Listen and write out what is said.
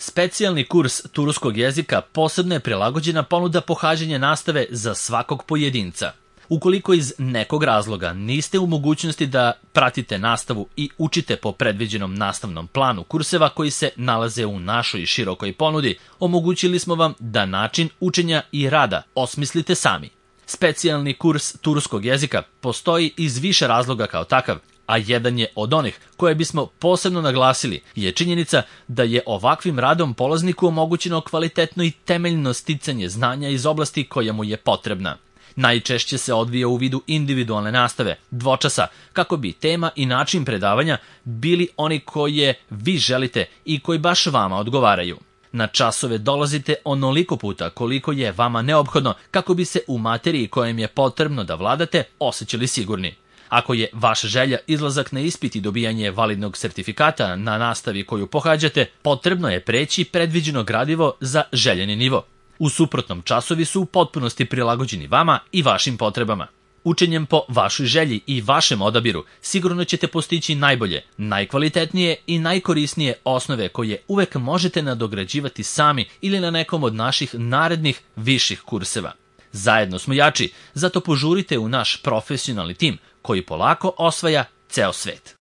Specijalni kurs turskog jezika posebno je prilagođena ponuda pohađanja nastave za svakog pojedinca. Ukoliko iz nekog razloga niste u mogućnosti da pratite nastavu i učite po predviđenom nastavnom planu kurseva koji se nalaze u našoj širokoj ponudi, omogućili smo vam da način učenja i rada osmislite sami. Specijalni kurs turskog jezika postoji iz više razloga kao takav, a jedan je od onih koje bismo posebno naglasili je činjenica da je ovakvim radom polazniku omogućeno kvalitetno i temeljno sticanje znanja iz oblasti koja mu je potrebna. Najčešće se odvija u vidu individualne nastave, dvočasa, kako bi tema i način predavanja bili oni koje vi želite i koji baš vama odgovaraju. Na časove dolazite onoliko puta koliko je vama neophodno kako bi se u materiji kojom je potrebno da vladate osjećali sigurni. Ako je vaša želja izlazak na ispit i dobijanje validnog sertifikata na nastavi koju pohađate, potrebno je preći predviđeno gradivo za željeni nivo. U suprotnom, časovi su u potpunosti prilagođeni vama i vašim potrebama. Učenjem po vašoj želji i vašem odabiru sigurno ćete postići najbolje, najkvalitetnije i najkorisnije osnove koje uvek možete nadograđivati sami ili na nekom od naših narednih viših kurseva. Zajedno smo jači, zato požurite u naš profesionalni tim koji polako osvaja ceo svet.